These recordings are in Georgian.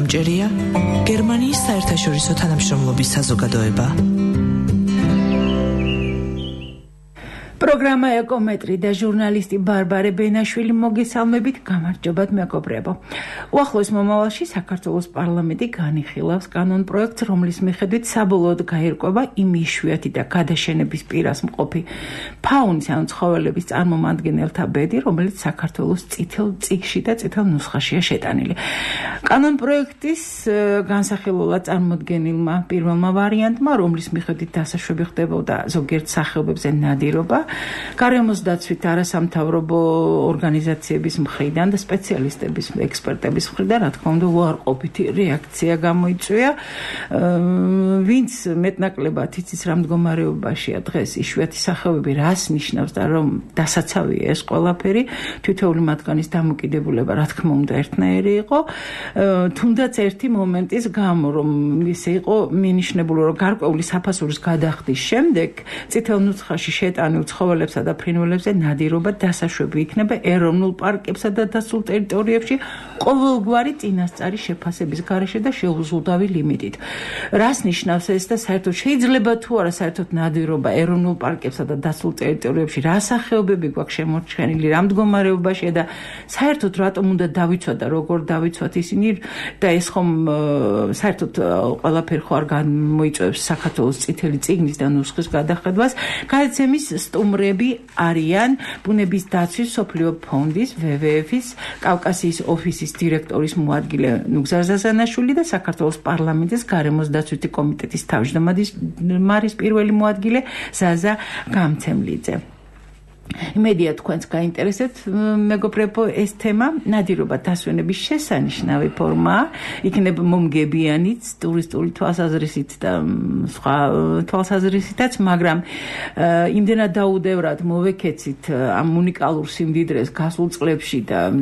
მოსამჭერია გერმანიის საერთაშორისო თანამშრომლობის საზოგადოება. პროგრამა ეკომეტრი და ჟურნალისტი ბარბარე ბენაშვილი მოგესალმებით, გამარჯობათ მეგობრებო. უახლოეს მომავალში საქართველოს პარლამენტი განიხილავს კანონპროექტს, რომლის მიხედვით საბოლოოდ გაირკვევა იმ იშვიათი და გადაშენების პირას მყოფი ფაუნის ანუ ცხოველების წარმომადგენელთა ბედი, რომელიც საქართველოს წითელ წიგნში და წითელ ნუსხაშია შეტანილი. კანონპროექტის განსახილველად წარმოდგენილმა პირველმა ვარიანტმა, რომლის მიხედვით დასაშვები ხდებოდა ზოგიერთ სახეობებზე ნადირობა, გარემოს დაცვით არასამთავრობო ორგანიზაციების მხრიდან და სპეციალისტების, ექსპერტების მხრიდან, რა თქმა უნდა, უარყოფითი რეაქცია გამოიწვია. ვინც მეტნაკლებად იცის რა მდგომარეობაშია დღეს იშვიათი სახეობები, რას ნიშნავს და რომ დასაცავია ეს ყველაფერი, თითოეული მათგანის დამოკიდებულება, რა თქმა უნდა, ერთნაირი იყო. თუნდაც ერთი მომენტის გამო, რომ ისე იყო მინიშნებული, რომ გარკვეული საფასურის გადახდის შემდეგ წითელ ნუსხაში შეტანილ ცხოველებსა და ფრინველებზე ნადირობა დასაშვები იქნება ეროვნულ პარკებსა და დასულ ტერიტორიებში ყოველგვარი წინასწარი შეფასების გარეშე და შეუზღუდავი ლიმიტით. რას ნიშნავს ეს და საერთოდ შეიძლება თუ არა საერთოდ ნადირობა ეროვნულ პარკებსა და დასულ ტერიტორიებში რა სახეობები გვაქვს შემორჩენილი, რა მდგომარეობაშია და საერთოდ რატომ უნდა დავიცვათ და როგორ დავიცვათ ისინი და ეს ხომ საერთოდ ყველაფერი ხო არ გამოიწვევს საქართველოს წითელი წიგნის და ნუსხის გადახედვას. გადაცემის სტუმრები არიან ბუნების დაცვის მსოფლიო ფონდის WWF-ის კავკასიის ოფისის დირექტორის მოადგილე ნუგზარ ზაზანაშვილი და საქართველოს პარლამენტის გარემოს დაცვითი კომიტეტის თავმჯდომარის პირველი მოადგილე ზაზა გამცემლიძე. იმედია თქვენს გაინტერესებთ მეგობრებო ეს თემა. ნადირობა დასვენების შესანიშნავი ფორმაა, იქნება მომგებიანიც, ტურისტული თვალსაზრისით და სხვა თვალსაზრისითაც, მაგრამ იმდენად დაუდევრად მოვეკეცით ამ უნიკალურ სიმდიდრეს გასულ წლებში და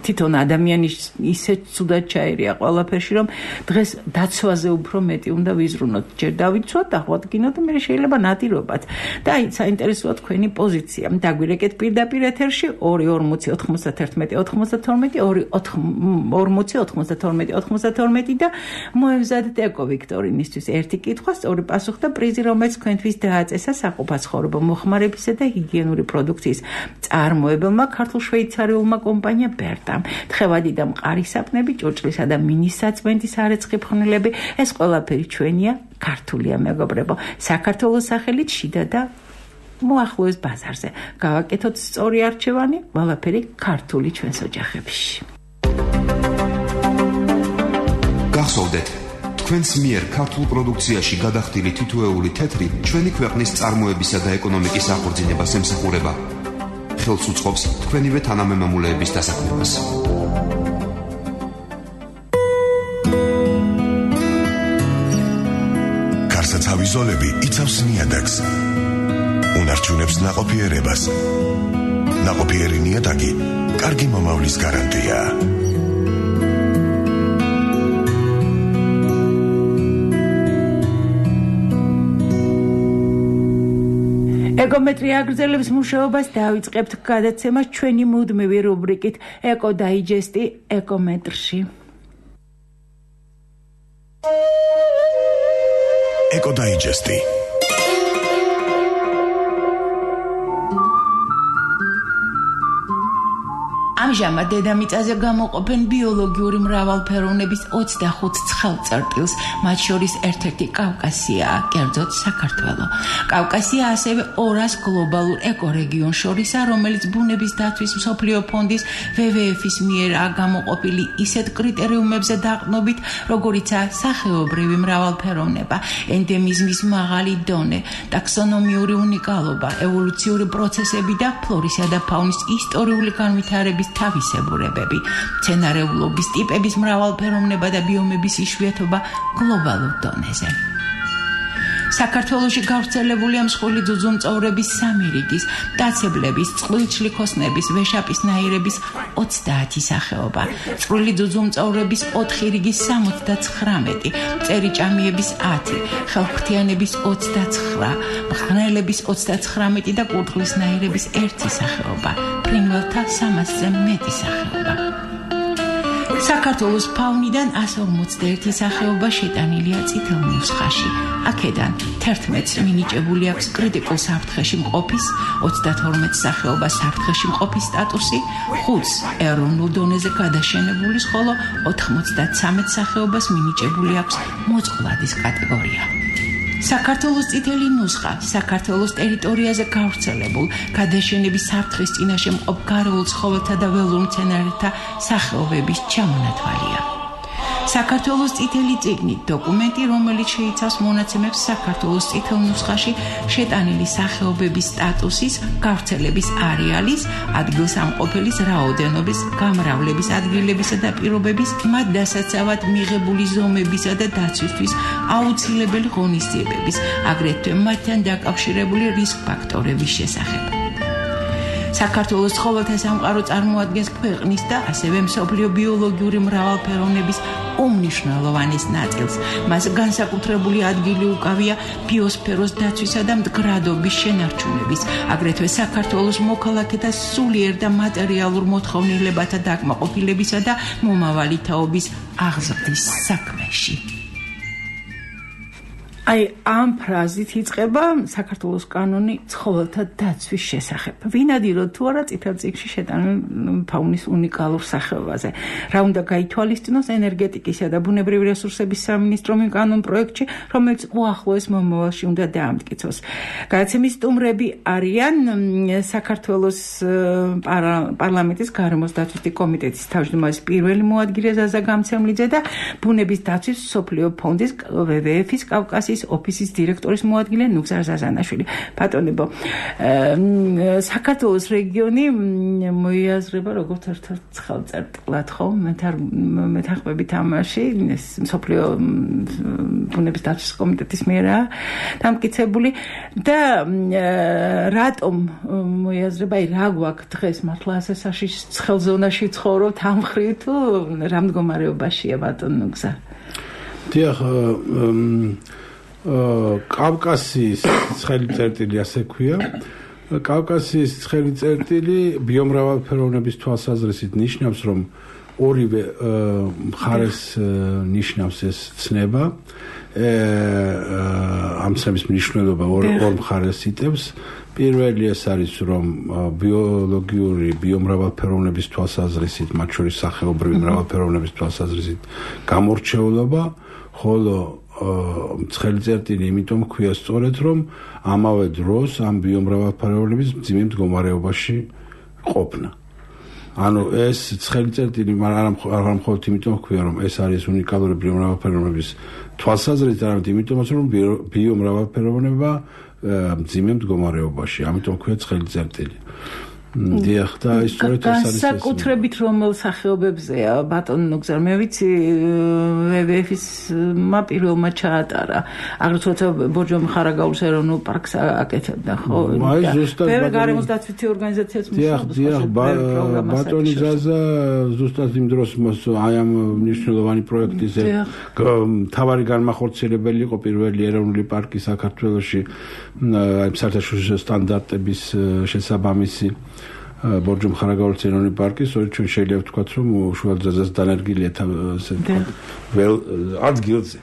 თვითონ ადამიანი ისე ცუდად ჩაერია ყველაფერში, რომ დღეს დაცვაზე უფრო მეტი უნდა ვიზრუნოთ. ჯერ დავიცვათ, აღვადგინოთ და მე შეიძლება ნადირობათ. და საინტერესოა თქვენი პოზიცია. დაგვირეკეთ პირდაპირ ეთერში 2409192 და მოემზადეთ ეკო ვიქტორინისთვის ერთი კითხვა, სწორი პასუხი და პრიზი, რომელიც თქვენთვის დააწესა საყოფაცხოვრებო მოხმარებისა და ჰიგიენური პროდუქციის წარმოებელმა ქართულ-შვეიცარიულმა კომპანია ბერტამ. თხევადი და მყარი საპნები, ჭურჭლისა და მინის საწმენდის არეცხი ფხვნილები, ეს ყველაფერი ჩვენია, ქართულია მეგობრებო. საქართველოს სახელით შიდა და მოახლოეს ბაზარზე. გავაკეთოთ სწორი არჩევანი, ყველაფერი ქართული ჩვენს ოჯახებში. გახსოვდეთ, თქვენს მიერ ქართულ პროდუქციაში გადახდილი თითოეული თეთრი ჩვენი ქვეყნის წარმოებისა და ეკონომიკის აღორძინებას ემსახურება. ხელს უწყობს თქვენივე თანამემამულეების დასაქმებას. გარსაცავი ზოლები იცავს ნიადაგს. უნარჩუნებს ნაყოფიერებას. ნაყოფიერი ნიადაგი კარგი მომავლის გარანტია. ეკომეტრი აგრძელებს მუშაობას, დავიწყებთ გადაცემას ჩვენი მუდმივი რუბრიკით ეკო დაიჯესტი ეკომეტრში. ეკო დაიჯესტი. ამჟამად დედამიწაზე გამოყოფენ ბიოლოგიური მრავალფეროვნების 25 ცხელწარტილს, მათ შორის ერთ-ერთი კავკასიაა, კერძოდ საქართველო. კავკასია ასევე 200 გლობალურ ეკორეგიონს შორისაა, რომელიც ბუნების დაცვის მსოფლიო ფონდის WWF-ის მიერაა გამოყოფილი ისეთ კრიტერიუმებზე დაყრდნობით, როგორიცაა სახეობრივი მრავალფეროვნება, ენდემიზმის მაღალი დონე, ტაქსონომიური უნიკალობა, ევოლუციური პროცესები და ფლორისა და ფაუნის ისტორიული განვითარების თავისებურებები, მცენარეულობის ტიპების მრავალფეროვნება და ბიომების იშვიათობა გლობალურ დონეზე. საქართველოში გავრცელებულია მსხვილი ძუძუმწოვრების 3 რიგის, მტაცებლების, წყვილჩლი ხოსნების, ვეშაპისნაირების 30 სახეობა, წვრილი ძუძუმწოვრების 4 რიგის 79, წერიჭამიების 10, ხელფრთიანების 29, მღრღნელების 39 და კურდღლისნაირების 1 სახეობა, ფრინველთა 300-ზე მეტი სახეობა. საქართველოს ფაუნიდან 151 სახეობა შეტანილია წითელ ნუსხაში. აქედან 11-ს მინიჭებული აქვს კრიტიკულ საფრთხეში მყოფის, 32 სახეობა საფრთხეში მყოფის სტატუსი, 5-ს ეროვნულ დონეზე გადაშენებულის, ხოლო 93 სახეობას მინიჭებული აქვს მოწყვლადის კატეგორია. საქართველოს წითელი ნუსხა საქართველოს ტერიტორიაზე გავრცელებულ გადაშენების საფრთხის წინაშე მყოფ გარეულ ცხოველთა და ველურ მცენარეთა სახეობების ჩამონათვალია. საქართველოს წითელი წიგნი დოკუმენტი, რომელიც შეიცავს მონაცემებს საქართველოს წითელ ნუსხაში შეტანილი სახეობების სტატუსის, გავრცელების არეალის, ადგილსამყოფელის რაოდენობის, გამრავლების ადგილებისა და პირობების, მათ დასაცავად მიღებული ზომებისა და დაცვისთვის აუცილებელი ღონისძიებების, აგრეთვე მათთან დაკავშირებული რისკ ფაქტორების შესახებ. საქართველოს ცხოველთა სამყარო წარმოადგენს ქვეყნის და ასევე მსოფლიო ბიოლოგიური მრავალფეროვნების უმნიშვნელოვანეს ნაწილს. მას განსაკუთრებული ადგილი უკავია ბიოსფეროს დაცვისა და მდგრადობის შენარჩუნების, აგრეთვე საქართველოს მოქალაქეთა სულიერ და მატერიალურ მოთხოვნილებათა დაკმაყოფილებისა და მომავალი თაობის აღზრდის საქმეში. ამ ფრაზით იწყება საქართველოს კანონი ცხოველთა დაცვის შესახებ. ვინადიროთ თუ არა წითელ წიგნში შეტანილ ფაუნის უნიკალურ სახეობაზე. რა უნდა გაითვალისწინოს ენერგეტიკისა და ბუნებრივი რესურსების სამინისტრომ იმ კანონ პროექტში, რომელიც უახლოეს მომავალში უნდა დაამტკიცოს. გადაცემის სტუმრები არიან საქართველოს პარლამენტის გარემოს დაცვის კომიტეტის თავმჯდომარის პირველი მოადგილე ზაზა გამცემლიძე და ბუნების დაცვის მსოფლიო ფონდის WWF-ის კავკასიის ოფისის დირექტორის მოადგილე ნუგზარ ზაზანაშვილი. ბატონებო, საქართველოს რეგიონი მოიაზრება როგორც ერთ-ერთ ხელწერტილად, ხო? მეთანხმებით ამაში მსოფლიო ბუნების დაცვის კომიტეტის მიერ დამტკიცებული და რატომ მოიაზრება, რა გვაქვს დღეს მართლა ასე საშიშ ზონაში ცხოვრობთ ამ მხრივ თუ რა მდგომარეობაშია ბატონ ნუგზარ? დიახ, კავკასიის ცხელი წერტილი ასე ქვია. კავკასიის ცხელი წერტილი ბიომრავალფეროვნების თვალსაზრისით ნიშნავს, რომ ორივე მხარეს ნიშნავს ეს ცნება. ამ ცნების მნიშვნელობა ორ მხარეს იტევს. პირველი ეს არის, რომ ბიოლოგიური ბიომრავალფეროვნების თვალსაზრისით, მათ შორის სახეობრივი მრავალფეროვნების თვალსაზრისით გამორჩეულობა, ხოლო ცხელი წერტილი იმიტომ ქვია სწორედ, რომ ამავე დროს ამ ბიომრავალფეროვნების მძიმე მდგომარეობაში ყოფნა. ანუ ეს ცხელი წერტილი არ მხოლოდ იმიტომ ქვია, რომ ეს არის უნიკალური ბიომრავალფეროვნების თვალსაზრისით, არამედ იმიტომაც, რომ ბიომრავალფეროვნება მძიმე მდგომარეობაში. ამიტომ ქვია ცხელი წერტილი. დიახ, და ისწორედ ეს არის. განსაკუთრებით რომელ სახეობებზეა ბატონ ნუგზარ? მე ვიცი WWF-ის პირველმა ჩაატარა. აგრეთვე ბორჯომი ხარაგაულის ეროვნულ პარკს აკეთებდა, ხო? აი ზუსტად ბევრი გარემოს დაცვითი ორგანიზაციაც მუშაობს. დიახ, ბატონი ზაზა ზუსტად იმ დროს აი ამ მნიშვნელოვანი პროექტის მთავარი განმახორციელებელი იყო პირველი ეროვნული პარკი საქართველოში, აი საერთაშორისო სტანდარტების შესაბამისი ბორჯომი ხარაგაულის ეროვნული პარკი, სწორედ ჩვენ შეიძლება ვთქვათ, რომ უშუალოდ ზაზას დანერგილია ასე ვთქვათ, ველ ადგილზე.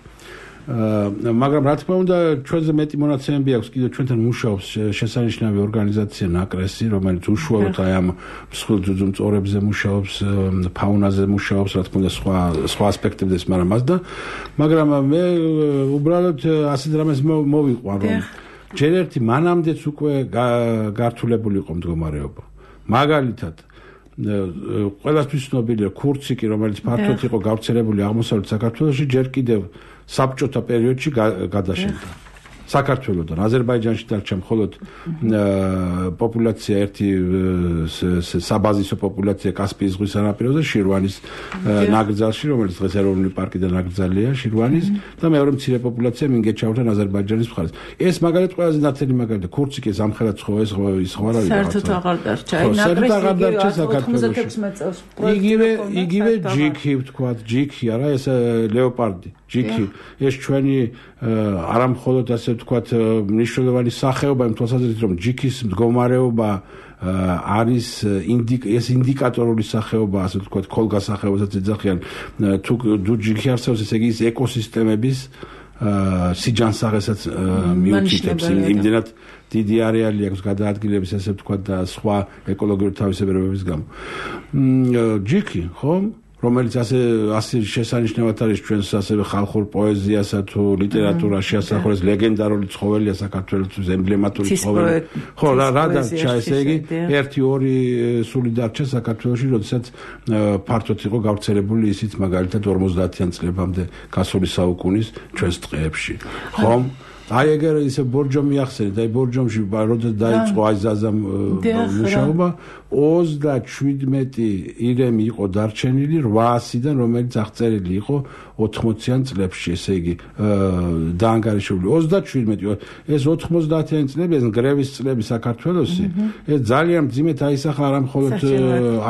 მაგრამ რა თქმა უნდა, ჩვენზე მეტი მონაცემები აქვს, კიდევ ჩვენთან მუშაობს შესანიშნავი ორგანიზაცია ნაკრესი, რომელიც უშუალოდ აი ამ მსხვილ ძუძუმწოვრებზე მუშაობს, ფაუნაზე მუშაობს, რა თქმა უნდა, სხვა ასპექტებზეც, მაგრამ მას და მაგრამ მე უბრალოდ ასეთ რამეს მოვიყვან, რომ ჯერ ერთი მანამდეც უკვე გართულებული იყო მდგომარეობა. მაგალითად, ყველასთვის ცნობილია ქურციკი, რომელიც ფართოდ იყო გავრცელებული აღმოსავლეთ საქართველოში, ჯერ კიდევ საბჭოთა პერიოდში გადაშენდა. საქართველოდან აზერბაიჯანში დარჩა მხოლოდ პოპულაცია ერთი საბაზისო პოპულაცია კასპიის ზღვის სანაპიროზე შირვანის ნაკრძალში, რომელიც დღეს ეროვნული პარკი და ნაკრძალია შირვანის და მეორე მცირე პოპულაცია მინგეჩაურთან აზერბაიჯანის მხარეს. ეს მაგალითად ყველაზე ნათელი მაგალითი ხურციკი ზამხელად სხვა ეს სხვა რა არის. საერთოდ აღარ დარჩა. საერთოდ აღარ დარჩა საქართველოში. იგივე ჯიქი ვთქვათ, ჯიქი არა ეს ლეოპარდი. ჯიქი ეს ჩვენი არა მხოლოდ ასე ვთქვათ, მნიშვნელოვანი სახეობა იმ თვალსაზრისით, რომ ჯიქის მდგომარეობა არის ეს ინდიკატორული სახეობა, ასე ვთქვათ, ქოლგასახეობასაც ეძახიან, თუ ჯიქი არსებობს, ესე იგი ის ეკოსისტემების სიჯანსაღესაც მიუთითებს, იმდენად დიდი არეალი აქვს გადაადგილების, ასე ვთქვათ, და სხვა ეკოლოგიური თავისებურებების გამო. ჯიქი, ხო? რომელიც ასე შესანიშნავად არის ჩვენს ასევე ხალხურ პოეზიასა თუ ლიტერატურაში ასახულეს ლეგენდარული ცხოველია საქართველოს ემბლემატური ცხოველი. ხო, რა დარჩა, ესე იგი, 1-2 სული დარჩა საქართველოში, როდესაც ფართოდ იყო გავრცელებული ისიც მაგალითად 50-იან წლებამდე გასული საუკუნის ჩვენს ტყეებში. ხო? აი ეგერ ისე ბორჯომი ახსენეთ, აი ბორჯომში როდესაც დაიწყო აი ზაზამ მუშაობა 37 ირემი იყო დარჩენილი 800-დან, რომელიც აღწერილი იყო 80-იან წლებში, ესე იგი დაანგარიშებული 37, ეს 90-იან წლები, ეს გრევის წლები საქართველოსი, ეს ძალიან მძიმედ აისახა არა მხოლოდ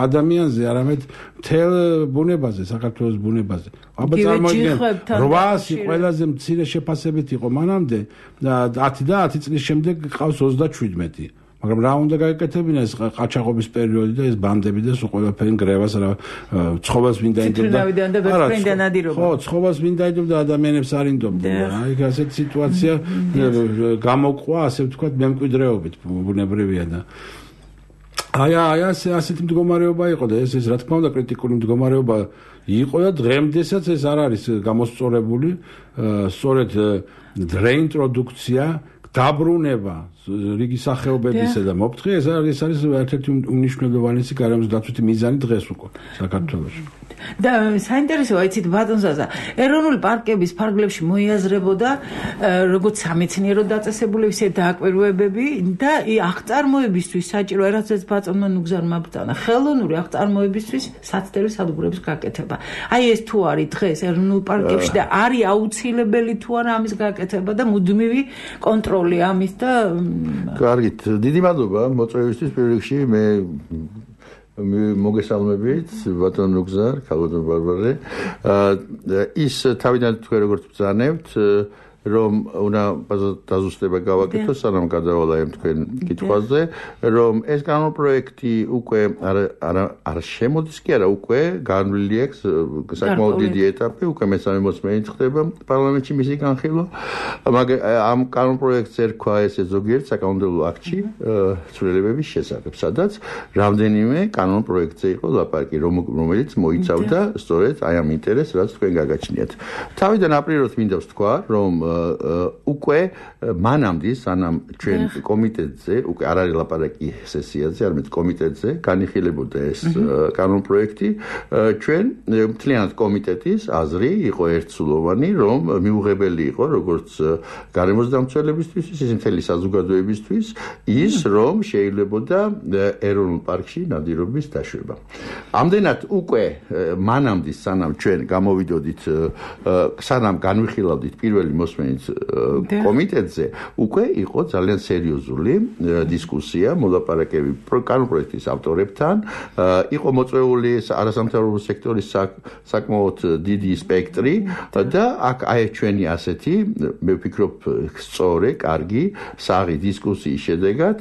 ადამიანზე, არამედ მთელ ბუნებაზე, საქართველოს ბუნებაზე. აბა წარმოიდგინეთ 800 ყველაზე მცირე შეფასებით იყო მანამდე და 10 წლის შემდეგ ყავს 37. მაგრამ რა უნდა გაეკეთებინა ეს ყაჩაღობის პერიოდი და ეს ბანდები და სულ ყველაფერი გრევას რა ცხოველს ვინ დაინდობდა ხო ცხოველს ვინ დაინდობდა ადამიანებს არ ინდობდა აი ასეთი სიტუაცია გამოყვა ასე ვთქვათ მემკვიდრეობით ბუნებრივია და აი ასეთი მდგომარეობა იყო და ეს რა თქმა უნდა კრიტიკული მდგომარეობა იყო და დღემდესაც ეს არ არის გამოსწორებული სწორედ რეინტროდუქცია დაბრუნება რიგი სახეობებისა და მოფრთხე ეს არის ერთ-ერთი უმნიშვნელოვანესი გარემოს დაცვითი მიზანი დღეს უკვე საქართველოში. და საინტერესოა იცით ბატონზაზა ეროვნული პარკების ფარგლებში მოიაზრებოდა როგორც სამეცნიერო დაწესებულების დააკვირვებები და აღწარმოებისთვის საჭირო რასაც ბატონმა ნუგზარმა ბრძანა ხელოვნური აღწარმოებისთვის საცდელი სადგურების გაკეთება. აი ეს თუ არის დღეს ეროვნულ პარკებში და არის აუცილებელი თუ არა ამის გაკეთება და მუდმივი კონტროლი ამის და კარგით დიდი მადლობა მოწვევისთვის პირველ რიგში მე მოგესალმებით ბატონ ნუგზარ ქალბატონ ბარბარე ის თავიდან თქვენ როგორც ბრძანებთ რომ უნდა დაზუსტება გავაკეთოს სანამ გადავალა ამ თქვენ კითხვაზე რომ ეს კანონპროექტი უკვე არ შემოდის კი არა უკვე განვლილი აქვს საკმაოდ დიდი ეტაპი უკვე მესამე მოსმენით ხდება პარლამენტში მისი განხილვა მაგრამ ამ კანონპროექტს ერქვა ესე ზოგიერთ საკანონმდებლო აქტში ცვლილებების შესახებ სადაც რამდენიმე კანონპროექტზე იყო ლაპარაკი რომელიც მოიცავდა სწორედ აი ამ ინტერესს რაც თქვენ გაგაჩნიათ თავიდან აპრილს მინდა ვთქვა რომ უკვე მანამდე სანამ ჩვენ კომიტეტზე უკვე არ არის ლაპარაკი სესიაზე არამედ კომიტეტზე განიხილებოდა ეს კანონპროექტი ჩვენ მთლიანად კომიტეტის აზრი იყო ერთსულოვანი რომ მიუღებელი იყო როგორც გარემოს დამცველებისთვის ისე მთელი საზოგადოებისთვის ის რომ შეიძლებოდა ეროვნულ პარკში ნადირობის დაშვება ამდენად უკვე მანამდე სანამ ჩვენ გამოვიდოდით სანამ განვიხილავდით პირველი მოსმენით კომიტეტზე უკვე იყო ძალიან სერიოზული დისკუსია მოლაპარაკები კანონპროექტის ავტორებთან იყო მოწვეული არასამთავრობო სექტორის საკმაოდ დიდი სპექტრი და აქ აი ჩვენი ასეთი მე ვფიქრობ სწორი, კარგი, საღი დისკუსიის შედეგად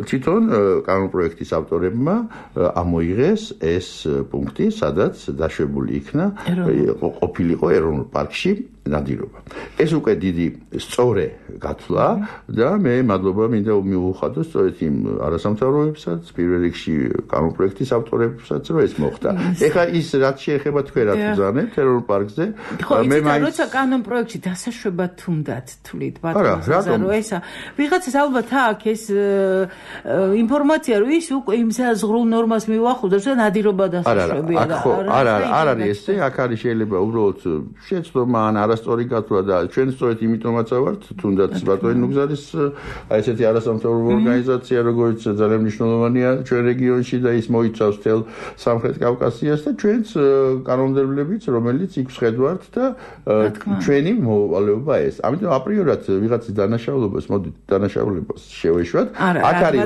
თვითონ კანონპროექტის ავტორებმა ამოიღეს ეს პუნქტი სადაც დაშვებული იქნა ყოფილიყო ეროვნულ პარკში ნადირობა. ეს უკვე დიდი სწორე გათვლა და მე მადლობა მინდა მიუხადოს სწორედ იმ არასამთავრობოებსაც, პირველ რიგში კანონპროექტის ავტორებსაც, რომ ეს მოხდა. ეხლა ის რაც შეეხება თქვენ რაც ბრძანებთ ეროვნულ პარკზე, მე მაინც როცა კანონპროექტში დასაშვება თუნდაც თვლით ბატონო, რომ ესა ვიღაცას ალბათ აქვს ეს ინფორმაცია, რომ ის უკვე იმ ზღრულ ნორმას მიუახლოვდა და ნადირობა დასაშვებია და არ არის ესე, აქ არის შეიძლება უბრალოდ შეცდომა ან არასწორი გათვლა და ჩვენ სწორედ იმიტომაც ავართ თუნდაც ბატონი ნუგზარის აი ესეთი არასამთავრობო ორგანიზაცია როგორც ძალიან მნიშვნელოვანია ჩვენ რეგიონში და ის მოიცავს თელ სამხრეთ კავკასიას და ჩვენც კანონმდებლობიც რომელიც იქ ვხედავთ და ჩვენი მოვალეობა ეს ამიტომ აპრიორად ვიღაცის დანაშაულებას მოდით დანაშაულებას შევეშვათ აქ არის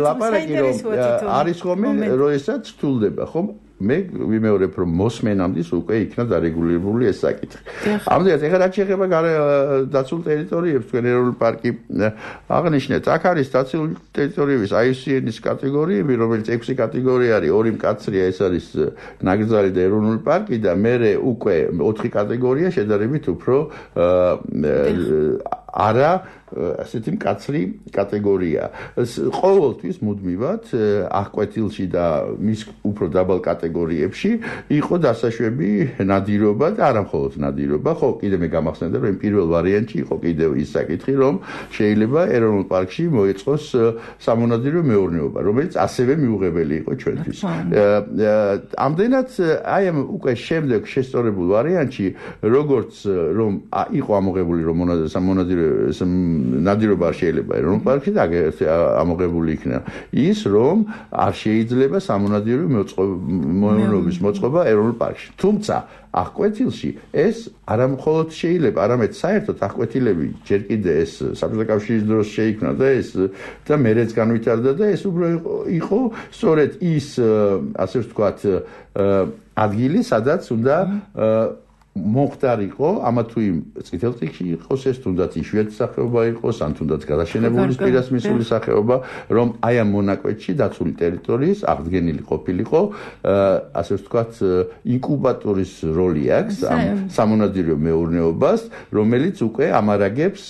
ლაპარაკი რომ არის ხომ როდესაც რთულდება ხომ მე ვიმეორებ რომ მოსმენამდis უკვე იქნა დარეგულირებული ეს საკითხი. ამდენად ეხლა რაც შეეხება დაცულ ტერიტორიებს თქვენ ეროვნული პარკი აღნიშნეთ, აქ არის დაცული ტერიტორიების IUCN-ის კატეგორიები, რომელიც 6 კატეგორია არის, 2 მკაცრია, ეს არის ნაკრძალი და ეროვნული პარკი და მერე უკვე 4 კატეგორია შედარებით უფრო არა ასეთი მკაცრი კატეგორია. ყოველთვის მუდმივად აღკვეთილში და მის უფრო დაბალ კატეგორიებში იყო დასაშვები ნადირობა და არა მხოლოდ ნადირობა. ხო, კიდე მე გამახსენდა, რომ პირველ ვარიანტში იყო კიდევ ის საკითხი, რომ შეიძლება ეროვნულ პარკში მოეწყოს სამონადირეო მეურნეობა, რომელიც ასევე მიუღებელი იყო ჩვენთვის. ამდენად აი ამ უკვე შემდეგ შესწორებულ ვარიანტში, როგორც რომ იყო ამოღებული რომ ნადირობა არ შეიძლება ეროვნულ პარკში და ამოღებული იქნა ის, რომ არ შეიძლება სამონადირეო მეურნეობის მოწყობა ეროვნულ პარკში. თუმცა აღკვეთილში ეს არა მხოლოდ შეიძლება, არამედ საერთოდ აღკვეთილები ჯერ კიდე ეს საბჭოთა კავშირის დროს შეიქმნა და ეს და მერეც განვითარდა და ეს უბრალოდ იყო სწორედ ის ასე ვთქვათ ადგილი, სადაც უნდა მოხდარიყო ამა თუ იმ წითელ წიგნში იყოს ეს თუნდაც იშვიათი სახეობა იყოს ან თუნდაც გადაშენებული პირას მისული სახეობა, რომ აი ამ მონაკვეთში დაცული ტერიტორიის აღდგენილი ყოფილიყო, ასე ვთქვათ, ინკუბატორის როლი აქვს ამ სამონადირეო მეურნეობას, რომელიც უკვე ამარაგებს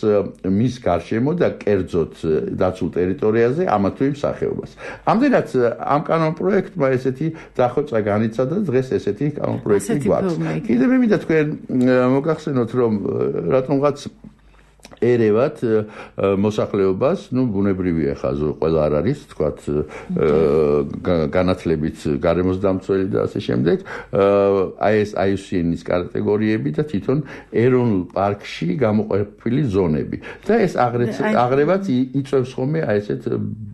მის გარშემო და კერძოდ დაცულ ტერიტორიაზე ამა თუ იმ სახეობას. ამდენად ამ კანონპროექტმა ესეთი დახვეწა განიცადა, დღეს ესეთი კანონპროექტი გვაქვს. კიდევ მე მინდა თქვენ მოგახსენოთ, რომ რატომღაც ერევათ მოსახლეობას, ბუნებრივია ხაზო ყველა არ არის, თქვათ განათლებით გარემოს დამცველი და ასე შემდეგ, აი ეს IUCN-ის კატეგორიები და თვითონ ეროვნულ პარკში გამოყოფილი ზონები. და ეს აღრევაც იწვევს ხოლმე აი ესეთ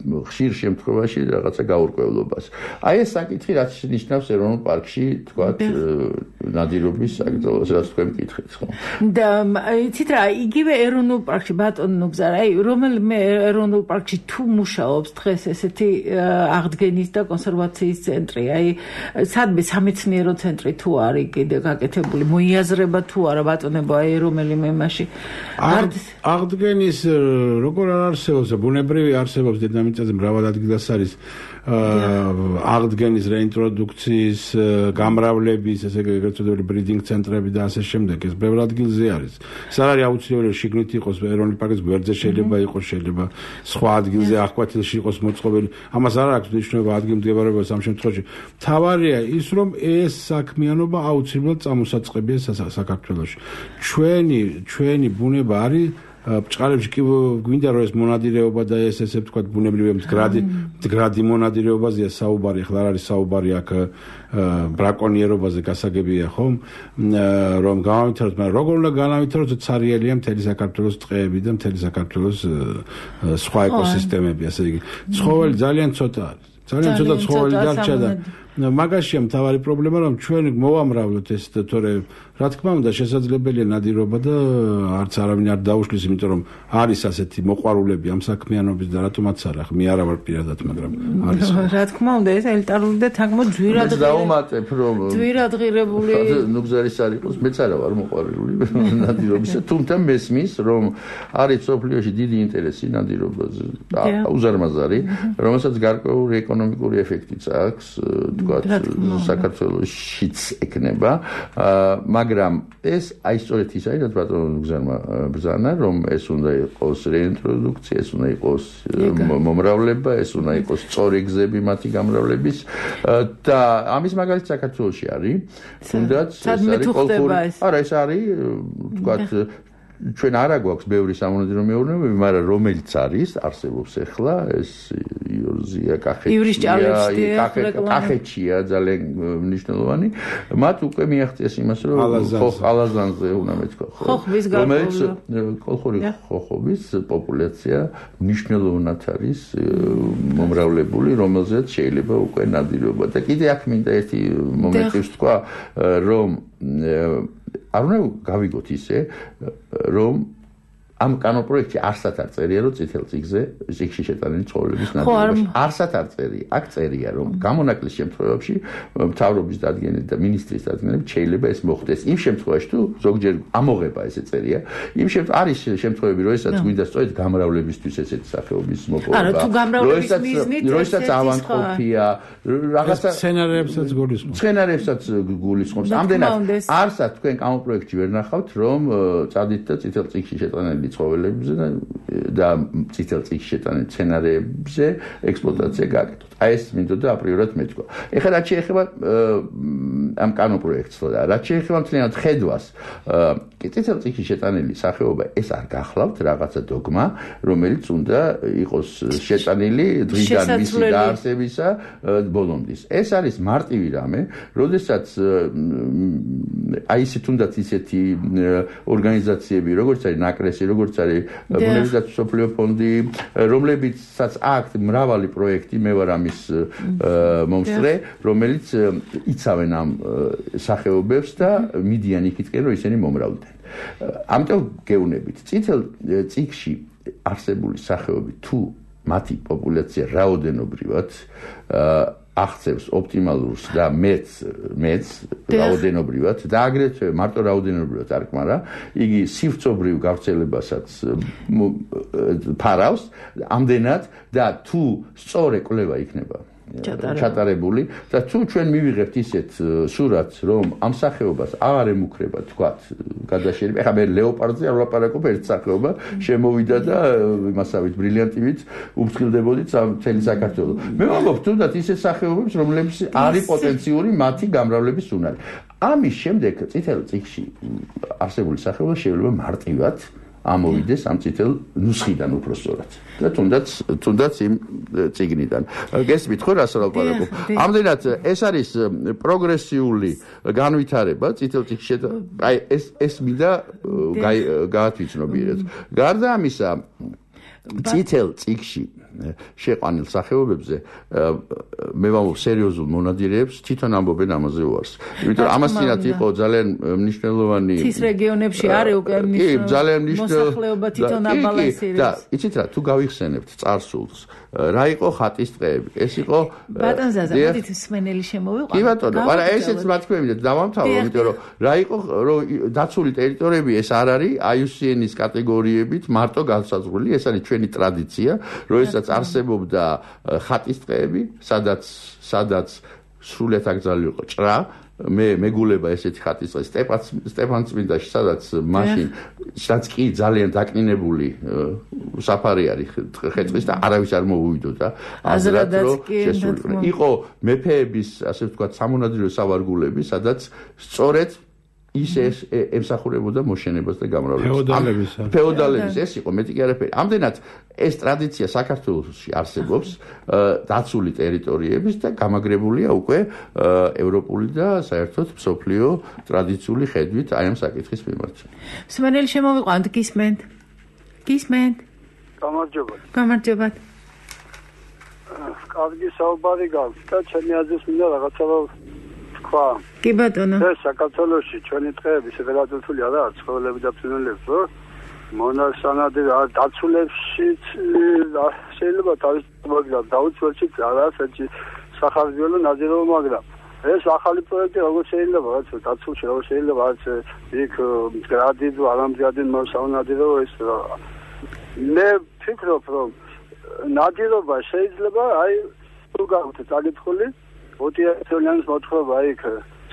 ხშირ შემთხვევაში რაღაცა გაურკვევლობას. აი ეს საკითხი რაც ნიშნავს ეროვნულ პარკში, თქვათ ნადირობის საკითხს, რაც თქვენ მკითხეთ, ხო? და იცით რა, იგივე ეროვნულ პარკში ბატონო ნუგზარ, აი რომელიმე ეროვნულ პარკში თუ მუშაობს დღეს ესეთი აღდგენის და კონსერვაციის ცენტრი, აი სადმე სამეცნიერო ცენტრი თუ არის კიდე გაკეთებული, მოიაზრება თუ არა ბატონებო, აი რომელიმე მასში აღდგენის როგორ არ არსებობს, ბუნებრივი არსებობს დედამიწაზე მრავალ ადგილას არის აღდგენის რეინტროდუქციის გამრავლების ესე გეწოდებული ბრიდინგ ცენტრები და ასე შემდეგ, ეს ბევრ ადგილზე არის. ეს არ არის აუცილებელი შიგნით იყოს ეროვნული პარკის გვერდზე, შეიძლება იყოს, შეიძლება სხვა ადგილზე აღკვეთილში იყოს მოწყობილი. ამას არ აქვს მნიშვნელობა ადგილმდებარეობას ამ შემთხვევაში. მთავარია ის, რომ ეს საქმიანობა აუცილებლად წამოსაწყებია საქართველოში. ჩვენი ბუნება არის ბჭყალებში კი გვინდა რომ ეს მონადირეობა და ეს ესე ვთქვათ ბუნებრივი მდგრადი მონადირეობაზეა საუბარი, ახლა არ არის საუბარი აქ ბრაკონიერობაზე გასაგებია ხომ, რომ გამავითაროთ, მაგრამ როგორ უნდა განავითაროთ, ცარიელია მთელი საქართველოს ტყეები და მთელი საქართველოს სხვა ეკოსისტემები, ასე იგი. ცხოველი ძალიან ცოტა არის. ძალიან ცოტა ცხოველი დარჩა და მაგაშია მთავარი პრობლემა, რომ ჩვენ მოვამრავლოთ ეს თორე რა თქმა უნდა შესაძლებელია ნადირობა და არც არავინ არ დაუშლის, იმიტომ რომ არის ასეთი მოყვარულები ამ საქმიანობის და რატომაც არა, მე არა ვარ პირადად, მაგრამ არის. რა თქმა უნდა ეს ელიტარული და თანგმო ძვირადღირებული ნუგზარის არ იყოს, მეც არა ვარ მოყვარული ნადირობისა, თუმცა მესმის რომ არის სოფლიოში დიდი ინტერესი ნადირობაზე, უზარმაზარი, რომელსაც გარკვეული ეკონომიკური ეფექტიც აქვს, თქვათ საქართველოშიც ეკნება, მაგრამ ეს აი სწორედ ის არის, რაც ბატონო ნუგზარმა ბრძანა, რომ ეს უნდა იყოს რეინტროდუქცია, ეს უნდა იყოს მომრავლება, ეს უნდა იყოს სწორი გზები მათი გამრავლების და ამის მაგალითი საქართველოში არის, თუნდაც ეს არის კოლხური. არა, ეს არის, თქვათ ჩვენ არა გვაქვს ბევრი სამონადირეო მეურნეობები, მაგრამ რომელიც არის, არსებობს ახლა, ეს იორზია, კახეთშია ძალიან მნიშვნელოვანი, მათ უკვე მიაღწიეს იმას, რომ ალაზანზე უნდა მეთქვა, რომელიც კოლხური ხოხობის პოპულაცია მნიშვნელოვნად არის მომრავლებული, რომელზეც შეიძლება უკვე ნადირობა. და კიდე აქ მინდა ერთი მომენტი ვთქვა, რომ არ უნდა გავიგოთ ისე, რომ ამ კანონპროექტში არსად არ წერია, რომ წითელ წიგნში შეტანილი ცხოველების ნადირობაში არსად არ წერია. აქ წერია, რომ გამონაკლის შემთხვევებში მთავრობის დადგენილებით და მინისტრის დადგენილებით შეიძლება ეს მოხდეს. იმ შემთხვევაში თუ ზოგჯერ ამოღება ესე წერია, არის შემთხვევები, როდესაც გვინდა სწორედ გამრავლებისთვის ესეთი სახეობის მოპოვება. არა, თუ გამრავლების მიზნით როდესაც ავანტყოფია, რაღაცა სცენარებსაც გულისხმობს. ამდენად არსად თქვენ კანონპროექტში ვერ ნახავთ, რომ წადით და წითელ წიგნში შეტანილი ცხოველებზე და წითელ წიგნში შეტანილი მცენარეებზე ექსპლუატაცია გააკეთოთ. აი ეს მინდოდა აპრიორად მეთქვა. ეხლა რაც შეეხება ამ კანონპროექტს და რაც შეეხება მთლიანად ხედვას, წითელ წიგნში შეტანილი სახეობა ეს არ გახლავთ რაღაცა დოგმა, რომელიც უნდა იყოს შეტანილი დღიდან მისი დაარსებისა ბოლომდე. ეს არის მარტივი რამე, როდესაც აი ისე თუნდაც ისეთი ორგანიზაციები, როგორც არის ნაკრესი, როგორც არის ბუნებისმეტყველო სოფლიო ფონდი, რომლებიცაც აქვთ მრავალი პროექტი, მე ვარ ამის მომსწრე, რომელიც იცავენ ამ სახეობებს და მიდიან იქითკენ, რომ ისინი მომრავლდნენ. ამიტომ გეუბნებით, წითელ წიგნში არსებული სახეობები თუ მათი პოპულაცია რაოდენობრივად აღწევს ოპტიმალურს და მეც რაოდენობრივად და აგრეთვე მარტო რაოდენობრივად არ კმარა, იგი სივრცობრივ გავრცელებასაც ფარავს, ამდენად და თუ სწორ კვლევა იქნება ჩატარებული და თუ ჩვენ მივიღებთ ისეთ სურათს, რომ ამ სახეობას აღარ ემუქრება თქვათ გადაშენება. ეხლა მე ლეოპარდზე არ ვლაპარაკობ, ერთ სახეობა შემოვიდა და იმასავით ბრილიანტივით უფრთხილდებოდით მთელი საქართველოს. მე ვამბობ თუნდაც ისეთ სახეობებს, რომლებიც არის პოტენციური მათი გამრავლების უნარი. ამის შემდეგ წითელ წიგნში არსებული სახეობა შეიძლება მარტივად ამოვიდეს ამ წითელ ნუსხიდან უпроსწორად და თუნდაც იმ წიგნიდან. გესმით ხო რას ვლაპარაკობ? ამდენად ეს არის პროგრესიული განვითარება წითელ წიგნში. აი ეს მინდა გაათვითცნობიერეთ. გარდა ამისა, წითელ წიგნში შეყვანილ სახეობებზე მე ვამბობ სერიოზულ მონადირეებს თვითონ ამბობენ ამაზე უარს. იმიტომ ამას წინათ იყო ძალიან მნიშვნელოვანი თის რეგიონებში არის უკვე მოსახლეობა თვითონ აბალანსირებს. და იცით რა, თუ გავიხსენებთ წარსულს, რა იყო ხატის ტყეები? ეს იყო ბატონ ზაზა, მოდით სმენელი შემოვიყვანოთ. კი ბატონო, არა ესეც მათქვევით დავამთავრე, იმიტომ რომ რა იყო დაცული ტერიტორიები ეს არ არის IUCN-ის კატეგორიებით მარტო განსაზღვრული, ეს არის ჩვენი ტრადიცია, როდესაც არსებობდა ხატის ტყეები, სადაც სრულიად აკრძალული იყო ჭრა, მე მეგულება ესეთი ხატის ტყე სტეფანწმინდაში, სადაც კი ძალიან დაკნინებული საფარი არის ხეწყის და არავის არ მოუვიდოდა აზრად, რომ შესულიყო. იყო მეფეების, ასე ვთქვათ, სამონადირეო სავარგულები, სადაც სწორედ ის ემსახურებოდა მოშენებას და გამრავლებას. ფეოდალების ეს იყო, მეტი კი არაფერი. ამდენად ეს ტრადიცია საქართველოში არსებობს დაცული ტერიტორიების და გამაგრებულია უკვე ევროპული და საერთოდ მსოფლიო ტრადიციული ხედვით აი ამ საკითხის მიმართ. სმენელი შემოვიყვანთ, გისმენთ? გამარჯობათ. კარგი საუბარი გაქვს და ჩემი აზრით მინდა რაღაცა თქვა. კი ბატონო. ეს საქართველოში ჩვენი ტყეები შეგადართული არა ცხოველები და ფრინველები, ხო? მონასანადირე დაცულებში შეიძლება თავის მაგრამ დაუცველშიც არა საჭი სახარბიელო ნადირობა, მაგრამ ეს ახალი პროექტი როგორ შეიძლება რაც დაცულში როგორ შეიძლება რაც იქ გრადიდო არამზადი მოსაუნადირება ეს მე ფიქრობ რომ ნადირობა შეიძლება აი თუ გავხდეთ აგეთხული ოტიაციონის მოთხრობა იქ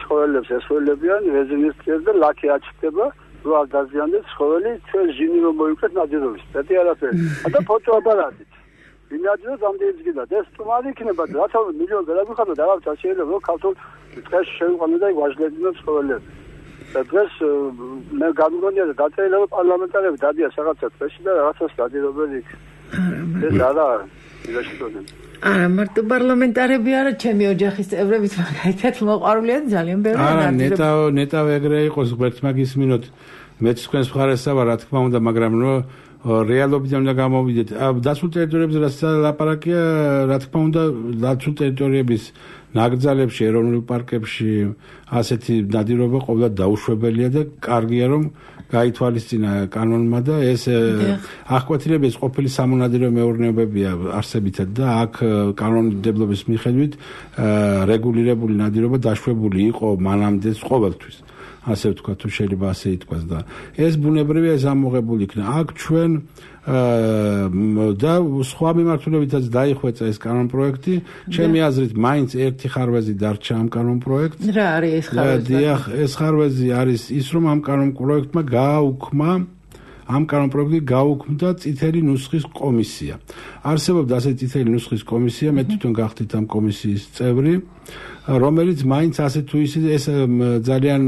ცხოველებს ესველებიან რეზინისტრიას და ლაქი აჩქდება რო არ დაზიანდეს ცხოველი ჩვენ ჟინი რომ მოიქეთ ნადირობის მეტი არაფერი და ფოტოაპარატით ვინაძროს ამდენი გიდა და ეს თუმარი იქნება და რათა მილიონ გადაგიხადო და რაღაც შეიძლება რომ ქართულ ტყეში შევიყვანო და ვაჟლებინო ცხოველები და დღეს მე გამიგონია და დაწერილი რომ პარლამენტარები დადიან რაღაცა ტყეში და რაღაცას დადირობენ იქ ეს არა ილაშქროდნენ არა მარტო პარლამენტარები არა ჩემი ოჯახის წევრებიც მაგალითად მოყვარულია ძალიან ბევრი არა ნეტავ ეგრე იყოს ღმერთს მაგის მინოთ მეც თქვენს მხარესა ვარ რა თქმა უნდა მაგრამ რომ რეალობიდან უნდა გამოვიდეთ დაცულ ტერიტორიებზე რაც ლაპარაკია რა თქმა უნდა დაცულ ტერიტორიების ნაკრძალებში ეროვნულ პარკებში ასეთი ნადირობა ყოველდღე დაუშვებელია და კარგია რომ გაითვალისწინა კანონმა და ეს აღკვეთილების ყოფილი სამონადირეო მეურნეობებია არსებითად და აქ კანონმდებლობის მიხედვით რეგულირებული ნადირობა დაშვებული იყო მანამდე ყოველთვის. ასე ვთქვა, თუ შეიძლება ასე ითქვას და ეს ბუნებრივია ეს ამოღებული იქნა. აქ ჩვენ და სხვა მიმართულებითაც დაიხვეწა ეს კანონპროექტი. ჩემი აზრით, მაინც ერთი ხარვეზი დარჩა ამ კანონპროექტს. რა არის ეს ხარვეზი? დიახ, ეს ხარვეზი არის ის, რომ ამ კანონპროექტმა გააუქმდა წითელი ნუსხის კომისია. არსებობდა ასეთი წითელი ნუსხის კომისია, მე თვითონ გახდით ამ კომისიის წევრი, რომელიც მაინც ასე თუ ისე ეს ძალიან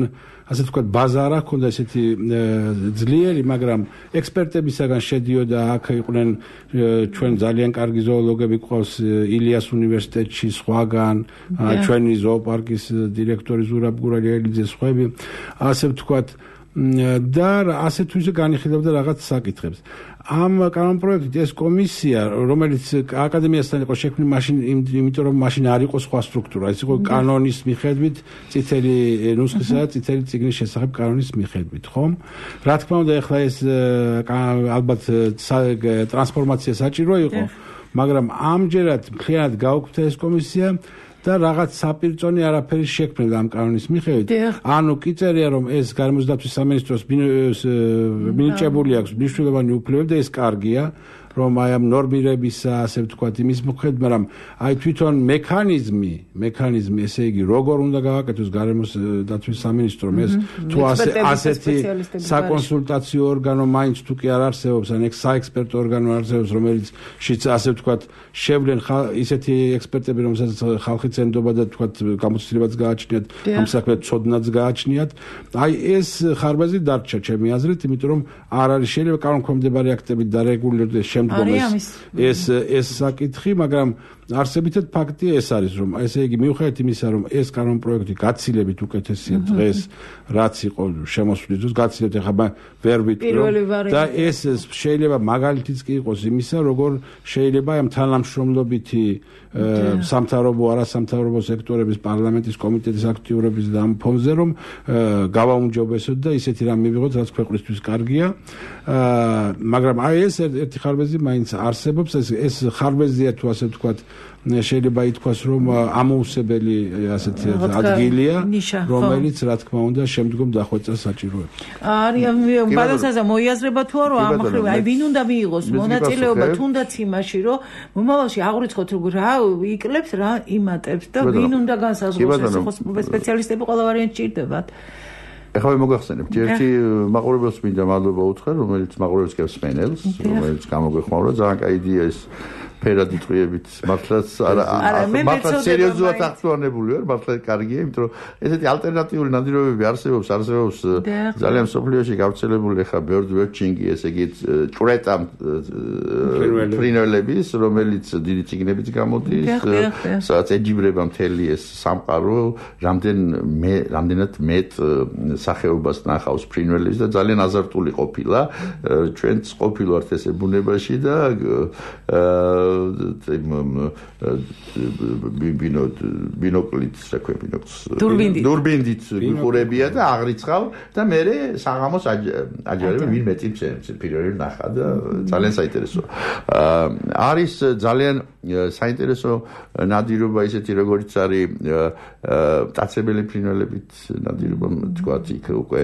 ასე თქვა ბაზარა ჰქონდა ესეთი ძლიერი, მაგრამ ექსპერტებისაგან შედიოდა, აქ იყვნენ ჩვენ ძალიან კარგი ზოოლოგები ყავს ილიას უნივერსიტეტში, სხვაგან, ჩვენი ზოოპარკის დირექტორი ზურაბ გურალიელიძე, სხვები, ასე ვთქვათ და ასე თუ ისე განიხილავდა რაღაც საკითხებს. ამ კანონპროექტით ეს კომისია, რომელიც აკადემიასთან იყო შექმნილი მაშინ, იმიტომ რომ მაშინ არ იყო სხვა სტრუქტურა, ეს იყო კანონის მიხედვით, წითელი ნუსხისა და წითელი წიგნის შესახებ კანონის მიხედვით, ხო? რა თქმა უნდა, ეხლა ეს ალბათ ტრანსფორმაცია საჭირო იყო, მაგრამ ამჯერად მთლიანად გაუქმდა ეს კომისია და რაღაც საპირწონე არაფერი შექმნილ ამ კანონის მიხედვით. ანუ კი წერია, რომ ეს გარემოს დაცვის სამინისტროს მინიჭებული აქვს მნიშვნელოვანი უფლებები და ეს კარგია, რომ აი ამ ნორმირებისა, ასე ვთქვათ, იმის მიხედვით, მაგრამ აი თვითონ მექანიზმი, ესე იგი, როგორ უნდა გავაკეთოს გარემოს დაცვის სამინისტრომ ეს თუ ასეთი საკონსულტაციო ორგანო მაინც თუ კი არ არსებობს, ან საექსპერტო ორგანო არსებობს, რომელიც ასე ვთქვათ, შევლენ ისეთი ექსპერტები, რომელსაც ხალხი წენდობა და თქვათ გამოცდილებაც გააჩნიათ, ამ საქმეზე ცოდნაც გააჩნიათ. აი ეს ხარბაზი დარჩა ჩემი აზრით, იმიტომ რომ არ არის შეიძლება კანონქვემდებარე აქტებით დარეგულირდეს ეს საკითხი, მაგრამ არსებითად ფაქტია ეს არის, რომ ესე იგი მიუხედავად იმისა, რომ ეს კანონპროექტი გაცილებით უკეთესია დღეს, რაც იყო შემოსვლის დროს, გაცილებით ახლა ვერ ვიტყვი და ეს შეიძლება მაგალითიც კი იყოს იმისა, როგორ შეიძლება ამ თანამშრომლობითი სამთავრობო, არასამთავრობო სექტორების, პარლამენტის კომიტეტის აქტიურობის და ამ ფონზე, რომ გავაუმჯობესოთ და ისეთი რამ მივიღოთ, რაც ქვეყნისთვის კარგია. მაგრამ აი ეს ერთი ხარვეზი მაინც არსებობს, ეს ხარვეზია თუ ასე ვთქვათ, შეიძლება ითქვას, რომ ამოუსებელი ასეთი ადგილია, რომელიც რა თქმა უნდა შემდგომ დახვეწას საჭიროებს. არის ბალანსაზე მოიაზრება თუ არა ამ ხრივ, აი ვინ უნდა მიიღოს მონაწილეობა თუნდაც იმაში, რომ მომავალში აღვრიცხოთ რა იკლებს, რა იმატებს და ვინ უნდა განსაზღვროს, ეს ხო სპეციალისტები ყველა ვარიანტი ჭირდებათ. ეხლა მოგახსენებთ, ერთი მაყურებელს მინდა მადლობა უთხრა, რომელიც მაყურებელს გავს სპენელს, რომელიც გამოგვეხმაურა, ძალიან კაი იდეა ეს. ფერადი წვიებით მართლაც მართლაც სერიოზულად აქტუალებული ვარ, მართლაც კარგია, იმიტომ რომ ესეთი ალტერნატიული ნადირობები არსებობს ძალიან სოფლიოში გავრცელებული, ხა bird watching-ი, ესე იგი ჭვრეტა ფრინველების, რომელიც დიდი ციგნებიც გამოდის, სადაც ეჯიბრება მთელი ეს სამყარო, რამდენად მეტ სახეობას ნახავს ფრინველის და ძალიან აზარტული ყოფილა. ჩვენც ყოფილვართ ესე ბუნებაში და ბინოკლით, დურბინით ვიყურებია და აღრიცხავ და მე საღამოს აჯერებ ვინ მეტი პირველი ნახა და ძალიან საინტერესოა. არის ძალიან საინტერესო ნადირობა ისეთი როგორც არის მტაცებელი ფრინველებით ნადირობა, თქვათ იქ უკვე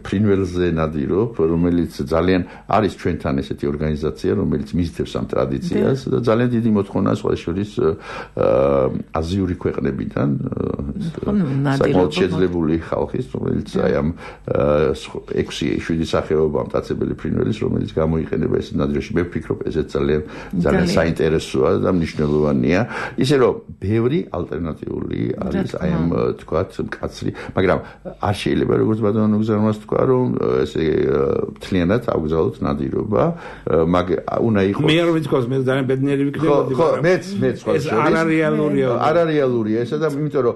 ფრინველზე ნადირობ, რომელიც ძალიან არის ჩვენთან ესეთი ორგანიზაცია, რომელიც მისდევს ამ ტრადიციას და ძალიან დიდი მოთხოვნაა სხვა შორის აზიური ქვეყნებიდან, საკმაოდ შეძლებული ხალხის, რომელიც აი ამ 6-7 სახეობა მტაცებელი ფრინველის, რომელიც გამოიყენება ეს ნადირობაში. მე ვფიქრობ, ესეც ძალიან საინტერესოა და მნიშვნელოვანია. ისე რომ ბევრი ალტერნატიული არის აი ამ თქვათ მკაცრი, მაგრამ არ შეიძლება როგორც ბატონო გზარმას თქვა, რომ ესე მთლიანად ავგზავნოთ ნადირობა, უნდა იყოს მე არ ვიცი, მე ძალიან ბედნიერი ვიქნებოდი, მაგრამ მეც სხვა ეს არარეალურია ესა და იმიტომ რომ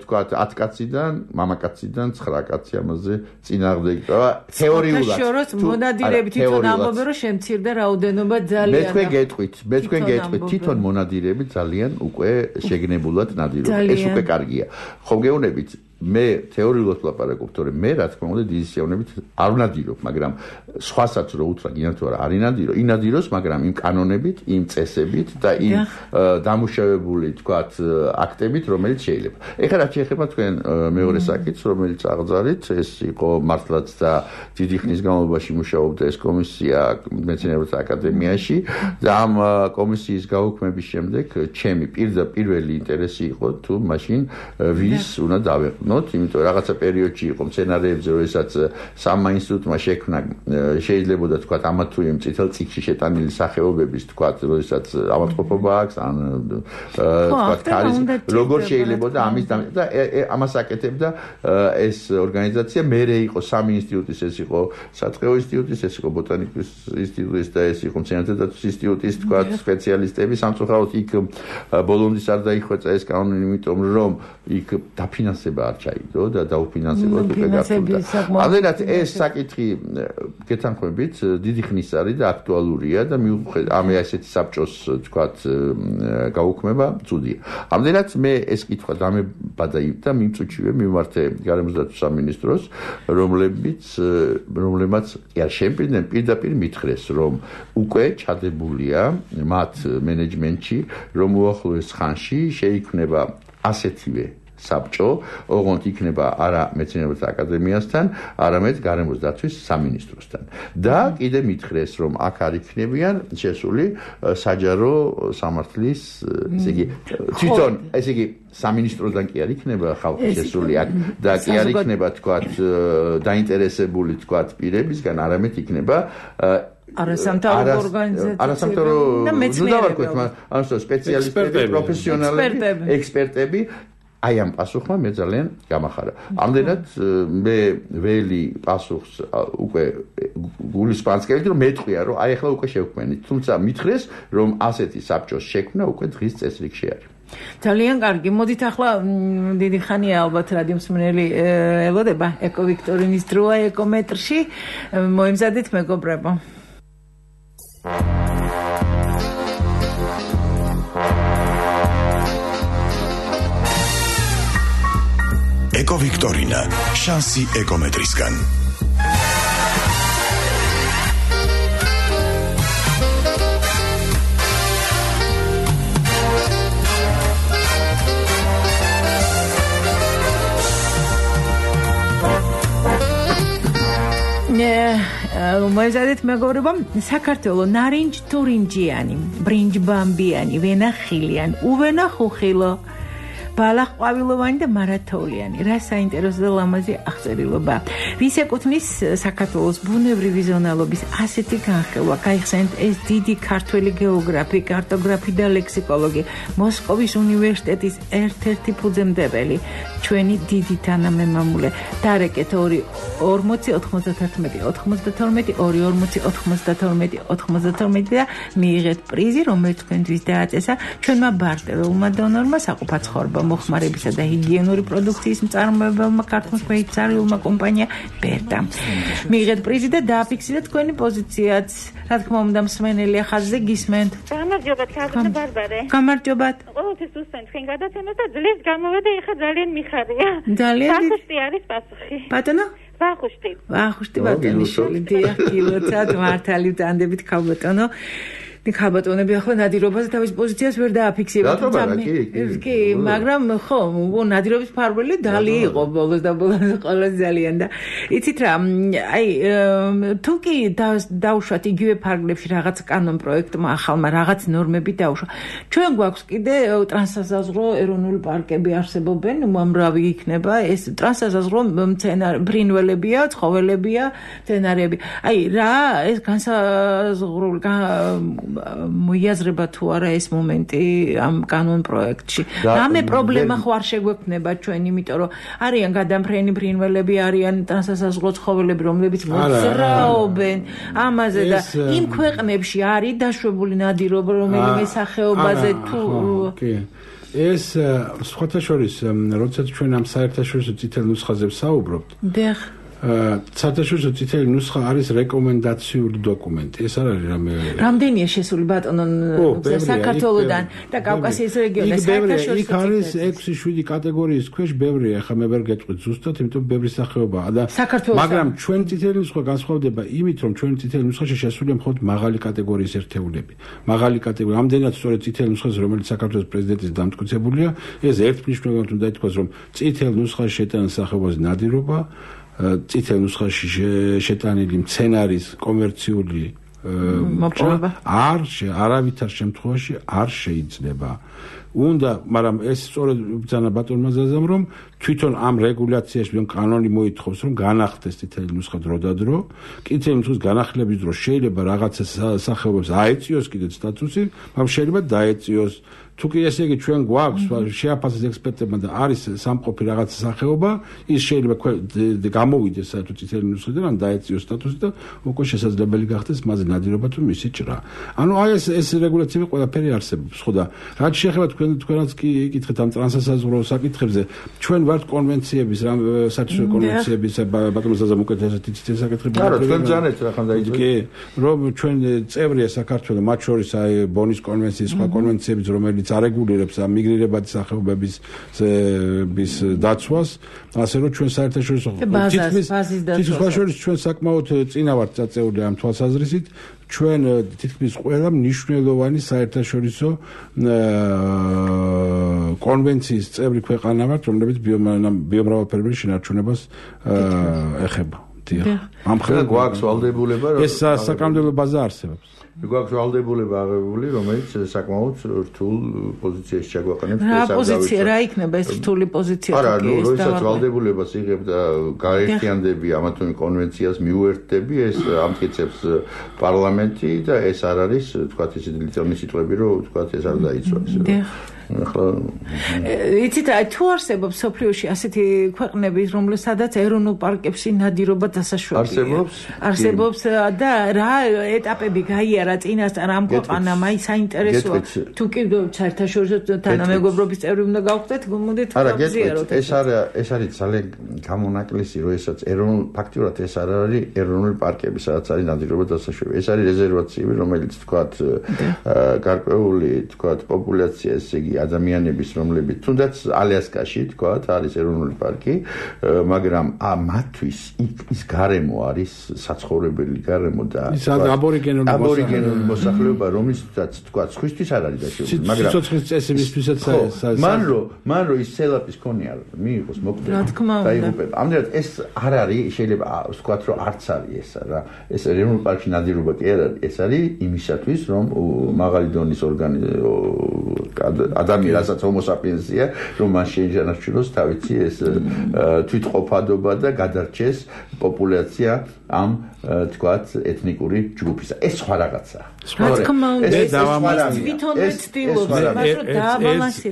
თქვათ 10 კაციდან, მამაკაციდან 9 კაცი ამაზე წინააღმდეგი ყვა თეორიულად. შოროს მონადირები თვითონ ამბობენ, რომ შემცირდა რაოდენობა ძალიან. მე თქვენ გეტყვით, თვითონ მონადირები ძალიან უკვე შეგნებულად ნადირობენ. ეს უკვე კარგია. ხომ გეუბნებით მე თეორიულად ვლაპარაკობ, თორემ მე რა თქმა უნდა დიდი სიამოვნებით არ ვნადირობ, მაგრამ სხვასაც რო უთხრა გინდა თუ არა არ ინადირო, ინადიროს, მაგრამ იმ კანონებით, იმ წესებით და იმ დამუშავებული თქვათ აქტებით, რომელიც შეიძლება. ეხლა რაც შეეხება თქვენ მეორე საკითხს, რომელიც აღძარით, ეს იყო მართლაც და დიდი ხნის განმავლობაში მუშაობდა ეს კომისია მეცნიერებათა აკადემიაში და ამ კომისიის გაუქმების შემდეგ ჩემი პირველი ინტერესი იყო თუ მაშინ ვის უნდა დავეყნოთ, იმიტომ რაღაცა პერიოდში იყო მცენარეებზე, როდესაც სამმა ინსტიტუტმა შექმნა შეიძლებოდა თქვათ ამა თუ იმ წითელ წიგნში შეტანილი სახეობების თქვათ, როდესაც ავადმყოფობა აქვს, ან თქვათ ქარის როგორ შეიძლება და ამის და ამას აკეთებდა ეს ორგანიზაცია, მერე იყო სამი ინსტიტუტის, ეს იყო საწყეო ინსტიტუტის, ეს იყო ბოტანიკის ინსტიტუტის და ეს იყო მცენარეთა დაცვის ინსტიტუტის თქვათ სპეციალისტები, სამწუხაროდ იქ ბოლომდის არ დაიხვეწა ეს კანონი, იმიტომ რომ იქ დაფინანსება არ ჩაიგდო და დაუფინანსებოდ უკვე გახდა. ამერად ეს საკითხი გეთანხმებით დიდი ხნის არის და აქტუალურია და მიუხედავად ამ ასეთი საბჭოს თქვათ გაუქმება ცუდია. ამერად მე ეს კითხვა დამებადა და მიმწუჩივე მიმართე გარემოსდაცვის სამინისტროს, რომლებმაც შენ პირდაპირ მითხრეს, რომ უკვე ჩადებულია მათ მენეჯმენტში, რომ უახლოეს ხანში შეიქმნება ასეთივე საბჭო, ოღონდ იქნება არა მეცნიერებათა აკადემიასთან, არამედ გარემოსდაცვის სამინისტროსთან. და კიდე მითხრეს, რომ აქ არ იქნებიან შესული საჯარო სამართლის, ესე იგი, თვითონ, ესე იგი, სამინისტროდან კი არ იქნება ხალხი შესული აქ და კი არ იქნება, თქვათ, დაინტერესებული, თქვათ, პირებისგან, არამედ იქნება არასამთავრობო ორგანიზაციები, სპეციალისტები, პროფესიონალები, ექსპერტები. აი ამ პასუხმა მე ძალიან გამახარა. ამდენად მე ველი პასუხს უკვე გულისპანსკევით, რომ მეტყვია, რომ აი ახლა უკვე შევქმნით. თუმცა მითხრეს, რომ ასეთი საბჭოს შექმნა უკვე დღის წესრიგში არის. ძალიან კარგი. მოდით ახლა დიდი ხანია ალბათ რადიო მსმენელი ელოდება ეკო ვიქტორინის დროა ეკომეტრში. მოემზადეთ მეგობრებო. ეკო ვიქტორინა, შანსი ეკომეტრისგან. მოემზადეთ მეგობრებო, საქართველოს ნარინჯ თურინჯიანი, ბრინჯ ბამბიანი, ვენა ხილიანი, უვენა ხუხილო, ბალაყყვავილოვანი და მარათოვლიანი. რა საინტერესო და ლამაზი აღწერილობა. ვის ეკუთვნის საქართველოს ბუნებრივი ზონალობის ასეთი განხილვა. გაიხსენეთ ეს დიდი ქართველი გეოგრაფი, კარტოგრაფი და ლექსიკოლოგი, მოსკოვის უნივერსიტეტის ერთ-ერთი ფუძემდებელი, ჩვენი დიდი თანამემამულე. დარეკეთ 2409192 და მიიღეთ პრიზი, რომელიც თქვენთვის დააწესა ჩვენმა ბარტერულმა დონორმა საყოფაცხოვრებო მოხმარებისა და ჰიგიენური პროდუქციის მწარმოებელმა ქართულმა კომპანია ბერტა. მიიღეთ პრიზი და დააფიქსირეთ თქვენი პოზიციაც. რა თქმა უნდა, მსმენელი ხაზზე გისმენთ. გამარჯობათ, ქართული ბარბარე. გამარჯობათ. ყოველთვის უსმენთ თქვენ გადაცემას და ძლიერს გამოვედა, ეხლა ძალიან მიხარია. ძალიან ვახუშტი არის პასუხი. ბატონო? ვახუშტი. ვახუშტი ბატონიშვილი, დიახ, კილოცად მართალი ვტანდებით ქალბატონო. ქალბატონები ახლა ნადირობაზე თავის პოზიციას ვერ დააფიქსირებთ. კი, მაგრამ ხო, ნადირობის ფარველი დალი იყო ბოლოს და ბოლოს ყველა ძალიან და იცით რა, აი თუ კი დაუშვათ იგივე ფარგლებში რაღაც კანონ პროექტმა ახალმა რაღაც ნორმები დაუშვა. ჩვენ გვაქვს კიდე ტრანსსაზღვრო ეროვნული პარკები არსებობენ, უამრავი იქნება ეს ტრანსსაზღვრო ფრინველებია, ცხოველებია, მცენარეები. აი რა ეს განსაზღვრული მოიაზრება თუ არა ეს მომენტი ამ კანონ პროექტში. რამე პრობლემა ხო არ შეგვექნება ჩვენ, იმიტომ რომ არიან გადამფრენი ფრინველები, არიან ტრანსსაზღვრო ცხოველები, რომლებიც მოძრაობენ ამაზე და იმ ქვეყნებში არის დაშვებული ნადირობა, რომელიმე სახეობაზე თუ ეს სხვათა შორის, როდესაც ჩვენ ამ საერთაშორისო წითელ ნუსხაზე ვსაუბრობთ, საერთაშორისო წითელი ნუსხა არის რეკომენდაციული დოკუმენტი. ეს არ არის რამე. რამდენია შესული ბატონო საქართველოსთან და კავკასიის რეგიონიდან საერთაშორისო იქ არის 6-7 კატეგორიის ქვეშ ბევრია, ახლა მე ვერ გეტყვით ზუსტად, იმიტომ ბევრი სახეობაა და მაგრამ ჩვენ წითელი ნუსხა განსხვავდება იმით, რომ ჩვენ წითელი ნუსხაში შესულია მხოლოდ მაღალი კატეგორიის ერთეულები. მაღალი კატეგორია, ამდენად სწორედ წითელი ნუსხას, რომელიც საქართველოს პრეზიდენტის დამტკიცებულია, ეს ერთმნიშვნელოვნად უნდა ითქვას, რომ წითელ ნუსხაში შეტანის სახეობას ნადირობა წითელ ნუსხაში შეტანილი მცენარის კომერციული მოპოვება არავითარ შემთხვევაში არ შეიძლება. უნდა, მაგრამ ეს სწორედ ბრძანა ბატონმა ზაზამ, რომ თვითონ ამ რეგულაციაში რომ კანონი მოითხოვს, რომ განახდეს წითელი ნუსხა დროდადრო, წითელი ნუსხის განახლების დროს შეიძლება რაღაცა სახეობებს აეწიოს კიდეც სტატუსი, მაგრამ შეიძლება დაეწიოს. თუ კი ესე იგი ჩვენ გვაქვს შეაფასეს ექსპერტებმა და არის სამყოფი რაღაც სახეობა, ის შეიძლება გამოვიდეს საერთოდ წითელი ნუსხიდან, ან დაეწიოს სტატუსი და უკვე შესაძლებელი გახდეს მასზე ნადირობა თუ მისი ჭრა. ანუ აი ეს რეგულაციები ყველაფერი არსებობს, ხო და რაც შეეხება თქვენაც კი იკითხეთ ამ ტრანსსაზღვრო საკითხებზე, ჩვენ ვართ კონვენციების, საერთაშორისო კონვენციების ბატონო ზაზამ უკვე ესეთი საკითხები. არა, თქვენ ძანეთ რა ხან დაიწყეთ. კი, რომ ჩვენ წევრია საქართველოს, მათ შორის აი ბონის კონვენციის სხვა კონვენციებიც, რომელიც არეგულირებს ამ მიგრირებადი სახეობების დაცვას, ასე რომ ჩვენ საერთაშორისო თითქმის სხვა შორის ჩვენ საკმაოდ წინა ვართ წაწეული ამ თვალსაზრისით, ჩვენ თითქმის ყველა მნიშვნელოვანი საერთაშორისო კონვენციის წევრი ქვეყანა ვართ, რომლებიც ბიომრავალფეროვნების შენარჩუნებას ეხება. ამ ხელა გვაქვს ვალდებულება, რომ ეს საკანონმდებლო ბაზა არსებობს. გვაქვს ვალდებულება აღებული, რომელიც საკმაოდ რთულ პოზიციაში ჩაგვაყენებს ეს რა პოზიცია, რა იქნება ეს რთული პოზიცია? არა, როდესაც ვალდებულებას იღებ და გაერთიანდები ამა თუ იმ კონვენციას მიუერთდები, ეს ამტკიცებს პარლამენტი და ეს არ არის, თქვათ ისეთი ლითონი სიტყვები, რომ თქვათ ეს არ დაიცვა ესე. ახლა იცით, თუ არსებობს სოფლიოში ასეთი ქვეყნები, რომელსაც ეროვნულ პარკებში ნადირობა დასაშვებია. არსებობს და რა ეტაპები გაიარა წინასწარ ამ ქვეყანამ, აი საინტერესოა. თუ კი საერთაშორისო თანამეგობრობის წევრი უნდა გავხდეთ, მოდით გავზიაროთ. ეს არის ძალიან გამონაკლისი, რომ ესაც ფაქტიურად ეს არ არის ეროვნული პარკები, სადაც არის ნადირობა დასაშვები. ეს არის რეზერვაციები, რომელიც თქვათ გარკვეული თქვათ პოპულაცია, ესე იგი ადამიანების, რომლებიც თუნდაც ალიასკაში თქვათ არის ეროვნული პარკი, მაგრამ მათთვის ის გარემო არის საცხოვრებელი გარემო და აბორიგენული მოსახლეობა, რომელსაც თქვათ სხვისთვის არ არის დაშეული, მაგრამ სიცოცხლის წესებისთვისაც მან რო ის სელაპის ქონია მიიღოს მოკვდები დაიღუპება. ამდენად ეს არ არის, შეიძლება ვთქვათ, რომ არც არის ესა რა. ეს ეროვნული პარკში ნადირობა კი არ არის, ეს არის იმისათვის, რომ მაღალი დონის ადამიანი, რასაც homo sapiens-ია, რომ მას შეინარჩუნოს თავისი ეს თვითყოფადობა და გადარჩეს პოპულაცია ამ თქვათ ეთნიკური ჯგუფისა. ეს სხვა რაღაცაა.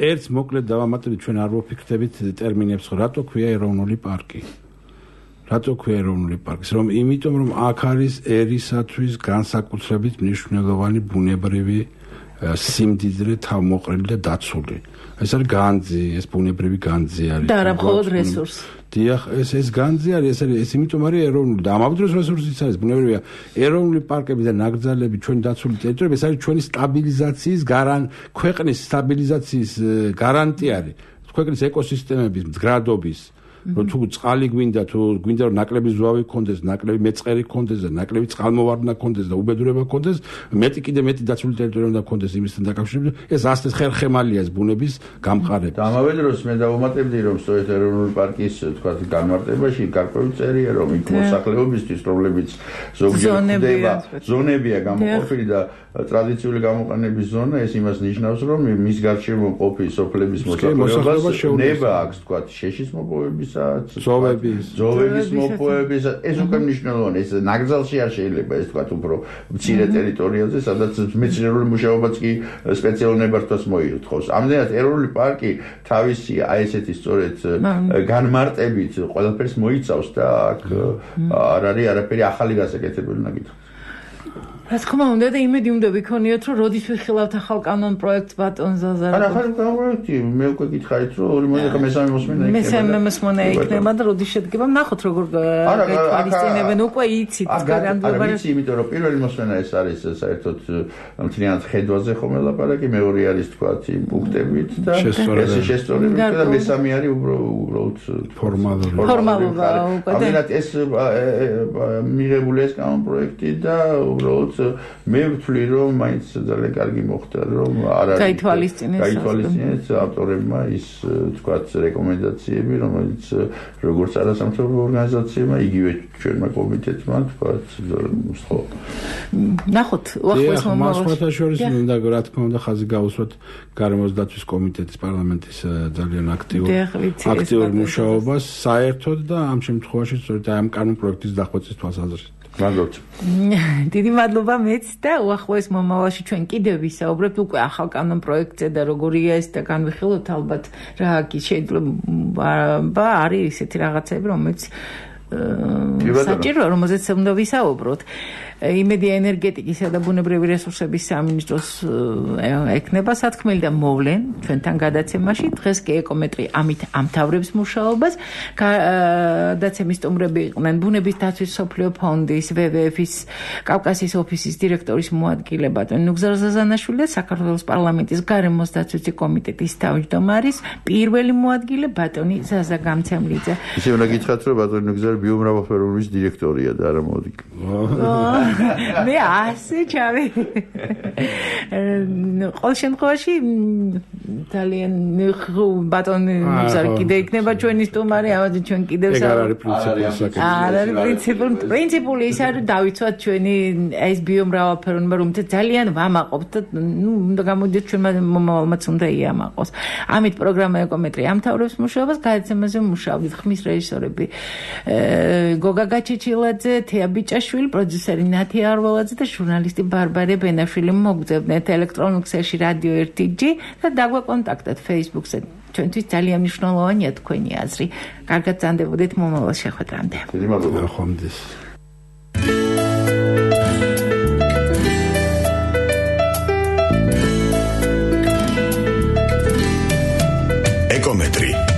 ერთს მოკლედ დავამატებით, ჩვენ არ ვფიქრდებით ტერმინებს, რატო ქვია ეროვნული პარკი. რატო ქვია ეროვნული პარკი? იმიტომ რომ აქ არის ერისათვის განსაკუთრებით მნიშვნელოვანი ბუნებრივი სიმდიდრე თავმოყრილი და დაცული. ეს არის განძი, ეს ბუნებრივი განძი არის. და არა მხოლოდ რესურსი. დიახ, ეს განძი არის, ეს იმიტომ არის ეროვნული და ამავე დროს რესურსიც არის ბუნებრივია. ეროვნული პარკები და ნაკრძალები ჩვენ დაცული ტერიტორიები, ეს არის ჩვენი სტაბილიზაციის ქვეყნის სტაბილიზაციის გარანტია არის. ქვეყნის ეკოსისტემების მდგრადობის თუ წყალი გვინდა, თუ გვინდა რომ ნაკლები ზვავი გქონდეს, ნაკლები მეწყერი გქონდეს და ნაკლები წყალმოვარდნა გქონდეს და უბედურება გქონდეს, მეტი დაცული ტერიტორია უნდა გქონდეს იმისთან დაკავშირებით. ეს ასეთ ხერხემალია ეს ბუნების გამყარება. და ამავე დროს მე დავუმატებდი, რომ სწორედ ეროვნული პარკის თქვათ განმარტებაში გარკვეული წერია, რომ იქ მოსახლეობისთვის, რომლებიც ზოგჯერ ხდება ზონებია გამოყოფილი და ტრადიციული გამოყენების ზონა, ეს იმას ნიშნავს, რომ მის გარშემო ყოფილი სოფლების მოსახლეობას ნება აქვს თქვათ შეშის მოპოვების ზოვების მოპოვების ეს უკვე მნიშვნელოვანია. ეს ნაკრძალში არ შეიძლება ეს თქვათ უფრო მცირე ტერიტორიაზე, სადაც მეცნიერული მუშაობაც კი სპეციალურ ნებართვას მოითხოვს. ამდენად ეროვნული პარკი თავისი აი ესეთი სწორედ განმარტებით ყველაფერს მოიცავს და აქ არ არის არაფერი ახალი გასაკეთებელი უნდა გითხრათ. რა თქმა უნდა და იმედი უნდა ვიქონიოთ რომ როდის ვიხილავთ ახალ კანონ პროექტს ბატონ ზაზარ. არა ახალი პროექტი მე უკვე გითხარით რომ ორი მოდი მესამე მოსმენა იქნება. მესამე მოსმენა იქნება და როდის შედგება ნახოთ როგორ გაითვალისწინებენ უკვე იცით გარანტიობა. არა ვიცი იმიტომ რომ პირველი მოსმენა ეს არის საერთოდ მთლიანად ხედვაზე ხომ ელაპარაკი მეორე არის თქვათ იმ პუნქტებით და ეს შესწორებით და მესამე არის უბრალოდ ფორმალობა უკვე და ამიტომ ეს მიღებული ეს კანონ პროექტი და უბრალოდ მე ვთვლი რომ მაინც ძალიან კარგი მოხდა რომ არ არის გაითვალისწინეს ავტორებმა ის თქვათ რეკომენდაციები რომელიც როგორც არასამთავრობო ორგანიზაციებმა იგივე ჩვენმა კომიტეტმა თქვათ ხო ნახოთ უახლოეს მომავალში შორის მინდა რა თქმა უნდა ხაზი გაუსვათ გარემოს დაცვის კომიტეტის პარლამენტის ძალიან აქტიურ მუშაობას საერთოდ და ამ შემთხვევაში სწორედ ამ კანონ პროექტის დახვეწის თვალსაზრისით დიდი მადლობა მეც და უახლოეს მომავალში ჩვენ კიდევ ვისაუბრებთ უკვე ახალ კანონ პროექტზე და როგორია ეს და განვიხილოთ ალბათ რა კი შეიძლება არის ისეთი რაღაცები რომელიც საჭიროა რომელზეც უნდა ვისაუბროთ იმედი ენერგეტიკისა და ბუნებრივი რესურსების სამინისტროს ექნება სათქმელი და მოვლენ ჩვენთან გადაცემაში დღეს კი ეკომეტრი ამით ამთავრებს მუშაობას გადაცემის სტუმრები იყვნენ ბუნების დაცვის მსოფლიო ფონდის WWF-ის კავკასიის ოფისის დირექტორის მოადგილე ბატონი ნუგზარ ზაზანაშვილი და საქართველოს პარლამენტის გარემოს დაცვის კომიტეტის თავმჯდომარის პირველი მოადგილე ბატონი ზაზა გამცემლიძე ისე უნდა გითხრათ რომ ბატონი ნუგზარ ბიომრავალფეროვნების დირექტორია და არა მოადგილე მე ასე ჩავი ყოველ შემთხვევაში ძალიან ბატონი ნუგზარი კიდე იქნება ჩვენი სტუმარი ამაზე ჩვენ კიდევ პრინციპული ის არის დავიცვათ ჩვენი ეს ბიომრავალფეროვნება რომელთაც ძალიან ვამაყობთ და უნდა გამოდიოთ ჩვენმა მომავალმაც უნდა იამაყოს ამით პროგრამა ეკომეტრი ამთავრებს მუშაობას გადაცემაზე მუშაობთ ხმის რეჟისორები გოგა გაჩეჩილაძე თეა ბიჭაშვილი პროდიუსერი ნათი არველაძე და ჟურნალისტი ბარბარე ბენაშვილი მოგძებნეთ ელექტრონულ ქსელში რადიო 1G და დაგვაკონტაქტეთ Facebook-ზე ჩვენთვის ძალიან მნიშვნელოვანია თქვენი აზრი კარგად წანდებოდეთ მომავალ შეხვედრამდე დიდი მადლობა ხომდის ეკომეტრი